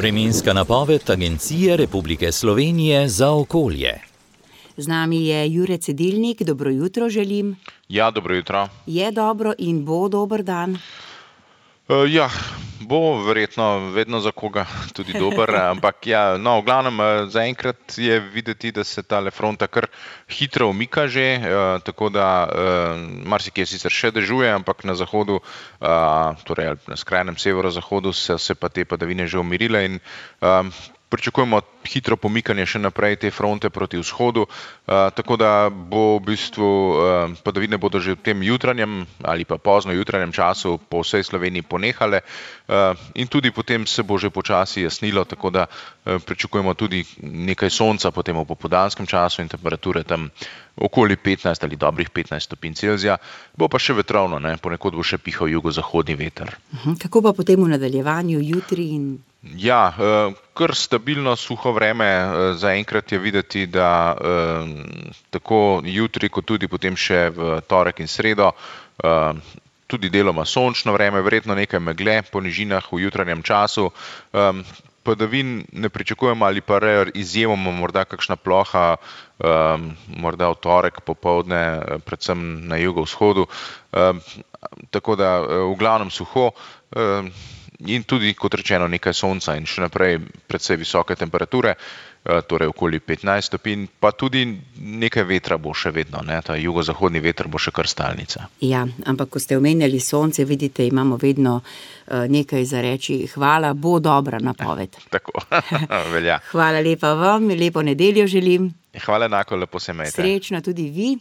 Vremenska napoved Agencije Republike Slovenije za okolje. Z nami je Jure Cedilnik, dobro jutro želim. Ja, dobro jutro. Je dobro in bo dober dan? Bo verjetno vedno za koga tudi dober, ampak v glavnem zaenkrat je videti, da se tale fronta kar hitro umika že, tako da marsikje sicer še dežuje, ampak na zahodu, torej na skrajnem severozahodu se pa te padavine že umirile in pričakujemo hitro pomikanje še naprej te fronte proti vzhodu, tako da bo v bistvu padavine bodo že v tem jutranjem ali pa pozno jutranjem času po vsej Sloveniji ponehale in tudi potem se bo že počasi jasnilo, tako da pričakujemo tudi nekaj sonca potem v popoldanskem času in temperature tam okoli 15 ali dobrih 15 stopinj Celzija, bo pa še vetrovno, ponekod bo še pihal jugozahodni veter. Kako pa potem v nadaljevanju jutri in... Kar stabilno suho vreme, zaenkrat je videti, da tako jutri kot tudi potem še v torek in sredo, tudi deloma sončno vreme, verjetno nekaj megle po nižinah v jutranjem času, padavin ne pričakujemo ali pa izjemoma morda kakšna ploha, morda v torek popoldne, predvsem na jugovzhodu, tako da v glavnem suho, in tudi, kot rečeno, nekaj sonca in še naprej precej visoke temperature, torej okoli 15 stopinj, pa tudi nekaj vetra bo še vedno, ta jugozahodni veter bo še kar stalnica. Ja, ampak ko ste omenjali sonce, vidite, imamo vedno nekaj za reči. Hvala, bo dobra napoved. Tako, velja. Hvala lepa vam, lepo nedeljo želim. Hvala enako, lepo se imejte. Srečno tudi vi.